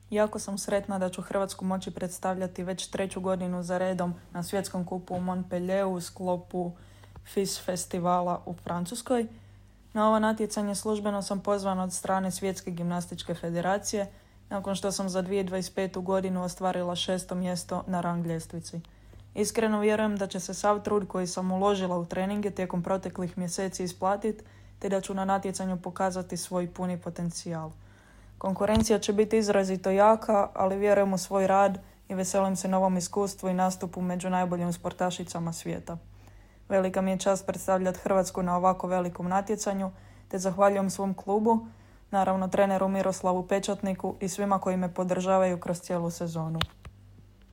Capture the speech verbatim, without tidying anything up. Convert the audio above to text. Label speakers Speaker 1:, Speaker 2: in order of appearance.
Speaker 1: Jako sam sretna da ću Hrvatsku moći predstavljati već treću godinu za redom na svjetskom kupu u Montpellieru u sklopu F I S festivala u Francuskoj. Na ovo natjecanje službeno sam pozvana od strane Svjetske gimnastičke federacije, nakon što sam za dvije tisuće dvadeset petu godinu ostvarila šesto mjesto na rang ljestvici. Iskreno vjerujem da će se sav trud koji sam uložila u treninge tijekom proteklih mjeseci isplatiti, te da ću na natjecanju pokazati svoj puni potencijal. Konkurencija će biti izrazito jaka, ali vjerujem u svoj rad i veselim se novom iskustvu i nastupu među najboljim sportašicama svijeta. Velika mi je čast predstavljati Hrvatsku na ovako velikom natjecanju, te zahvaljujem svom klubu, naravno treneru Miroslavu Pečatniku i svima koji me podržavaju kroz cijelu sezonu.